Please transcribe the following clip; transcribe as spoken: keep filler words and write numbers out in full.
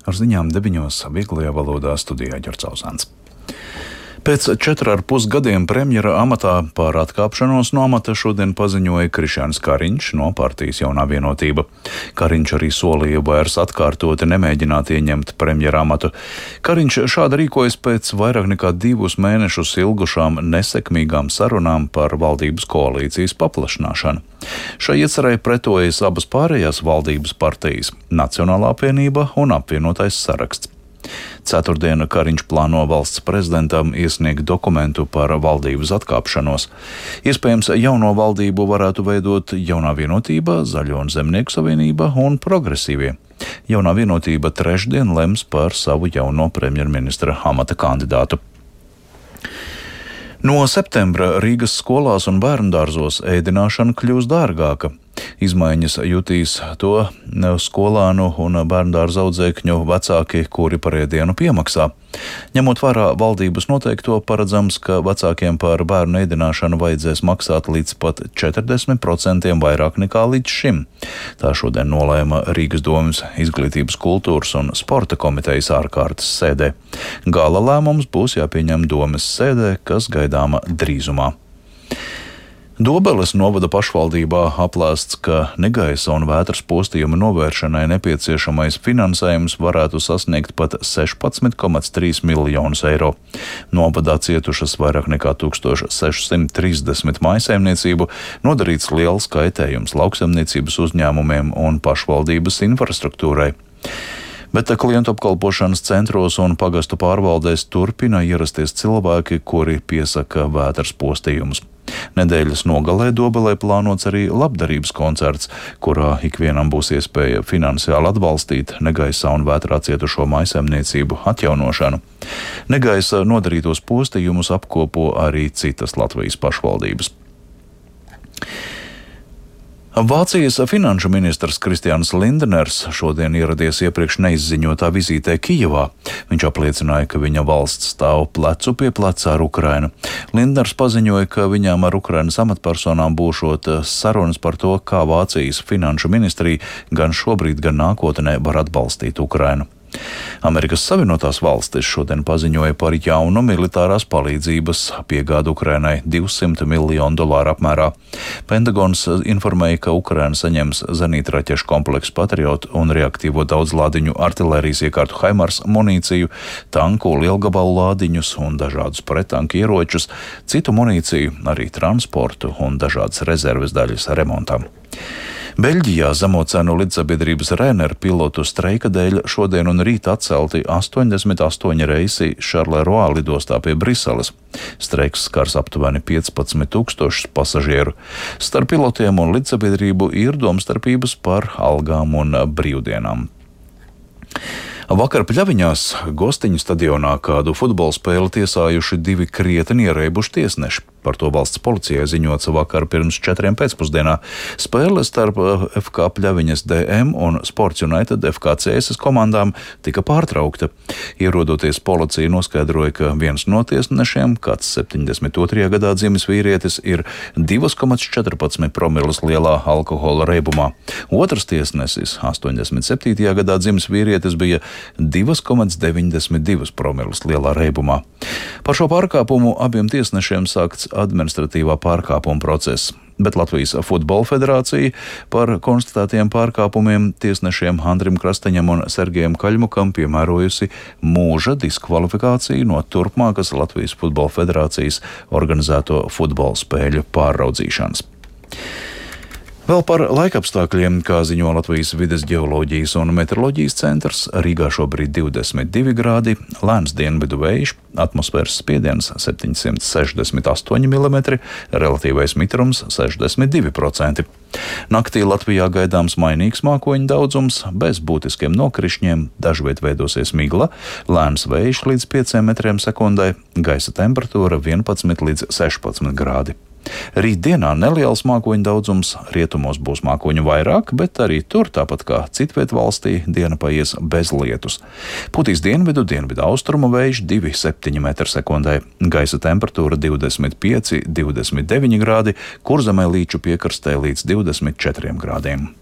Ar ziņām deviņos vieglajā valodā studijā Ģercauzāns. Pēc četru ar pus gadiem premjera amatā par atkāpšanos no amata šodien paziņoja Krišjāns Kariņš no partijas Jaunā Vienotība. Kariņš arī solīja vairs atkārtoti nemēģināt ieņemt premjera amatu. Kariņš šādi rīkojas pēc vairāk nekā divus mēnešus ilgušām nesekmīgām sarunām par valdības koalīcijas paplašināšanu. Šai iecerei pretojas abas pārējās valdības partijas - Nacionālā apvienība un Apvienotais saraksts. Ceturtdien Kariņš plāno valsts prezidentam iesniegt dokumentu par valdības atkāpšanos. Iespējams, jauno valdību varētu veidot Jaunā Vienotība, Zaļo un Zemnieku savienība un Progresīvie. Jaunā Vienotība trešdien lems par savu jauno premjerministra amata kandidātu. No septembra Rīgas skolās un bērndārzos ēdināšana kļūs dārgāka. Izmaiņas jutīs to skolānu un bērndārza audzēkņu vecāki, kuri par ēdienu piemaksā. Ņemot vērā valdības noteikto, paredzams, ka vecākiem par bērnu ēdināšanu vajadzēs maksāt līdz pat četrdesmit procentiem vairāk nekā līdz šim. Tā šodien nolēma Rīgas domes izglītības, kultūras un sporta komitejas ārkārtas sēdē. Gala lēmums būs jāpieņem domes sēdē, kas gaidāma drīzumā. Dobeles novada pašvaldībā aplēsts, ka negaisa un vētras postījuma novēršanai nepieciešamais finansējums varētu sasniegt pat sešpadsmit komats trīs miljonus eiro. Novadā cietušas vairāk nekā tūkstoš sešsimt trīsdesmit mājsaimniecību, nodarīts liels kaitējums lauksaimniecības uzņēmumiem un pašvaldības infrastruktūrai. Bet klientu apkalpošanas centros un pagastu pārvaldēs turpina ierasties cilvēki, kuri piesaka vētras postījumus. Nedēļas nogalē Dobelē plānots arī labdarības koncerts, kurā ikvienam būs iespēja finansiāli atbalstīt negaisā un vētrā cietušo mājsaimniecību atjaunošanu. Negaisa nodarītos postījumus apkopo arī citas Latvijas pašvaldības. Vācijas finanšu ministrs Kristians Lindners šodien ieradies iepriekš neizziņotā vizītē Kijevā. Viņš apliecināja, ka viņa valsts stāv plecu pie pleca ar Ukrainu. Lindners paziņoja, ka viņām ar Ukrainas amatpersonām būšot sarunas par to, kā Vācijas finanšu ministrija gan šobrīd, gan nākotnē var atbalstīt Ukrainu. Amerikas Savienotās valstis šodien paziņoja par jaunu militārās palīdzības piegādu Ukrainai divsimt miljonu dolāru apmērā. Pentagons informēja, ka Ukraina saņems zenītraķešu kompleksu Patriot un reaktīvo daudzlādiņu artilērijas iekārtu Haimars munīciju, tanku lielgabalu lādiņus un dažādus prettanku ieročus, citu munīciju, arī transportu un dažādas rezerves daļas remontam. Beļģijā zemo cenu lidsabiedrības Ryanair pilotu streika dēļ šodien un rīt atcelti astoņdesmit astoņi reisi Šarleroā lidostā pie Briseles. Streiks skars aptuveni piecpadsmit tūkstošus pasažieru. Starp pilotiem un lidsabiedrību ir domstarpības par algām un brīvdienām. Vakar Pļaviņās Gostiņu stadionā kādu futbola spēli tiesājuši divi krietni ierēbuši tiesneši. Par to valsts policijai ziņots vakar pirms četriem pēcpusdienā. Spēle starp F K Pļaviņas D M un Sports United F K C S komandām tika pārtraukta. Ierodoties, policija noskaidroja, ka viens no tiesnešiem, kāds septiņdesmit otrajā gadā dzimis vīrietis, ir divi komats četrpadsmit promilus lielā alkohola reibumā. Otrs tiesnesis, astoņdesmit septītajā gadā dzimis vīrietis, bija divi komats deviņdesmit divi promilus lielā reibumā. Par šo pārkāpumu abiem tiesnešiem sākts administratīvā pārkāpuma process, bet Latvijas Futbola federācija par konstatētiem pārkāpumiem tiesnešiem Andrim Krasteņam un Sergejam Kaļmukam piemērojusi mūža diskvalifikāciju no turpmākas Latvijas Futbola federācijas organizēto futbola spēļu pārraudzīšanas. Vēl par laikapstākļiem, kā ziņo Latvijas vides ģeoloģijas un meteoroloģijas centrs, Rīgā šobrīd divdesmit divi grādi, lēns dienvidu vējš, atmosfēras spiediens septiņsimt sešdesmit astoņi milimetri, relatīvais mitrums sešdesmit divi procenti. Naktī Latvijā gaidāms mainīgs mākoņu daudzums, bez būtiskiem nokrišņiem, dažviet veidosies migla, lēns vējš līdz pieciem metriem sekundē, gaisa temperatūra vienpadsmit līdz sešpadsmit grādi. Rītdienā neliels mākoņu daudzums, rietumos būs mākoņu vairāk, bet arī tur, tāpat kā citviet valstī, diena paies bez lietus. Putīs dienvidu, dienvidu austrumu vējš divi komats septiņi metri sekundē, gaisa temperatūra divdesmit pieci līdz divdesmit deviņi grādi, Kurzemē līču piekrastē līdz divdesmit četriem grādiem.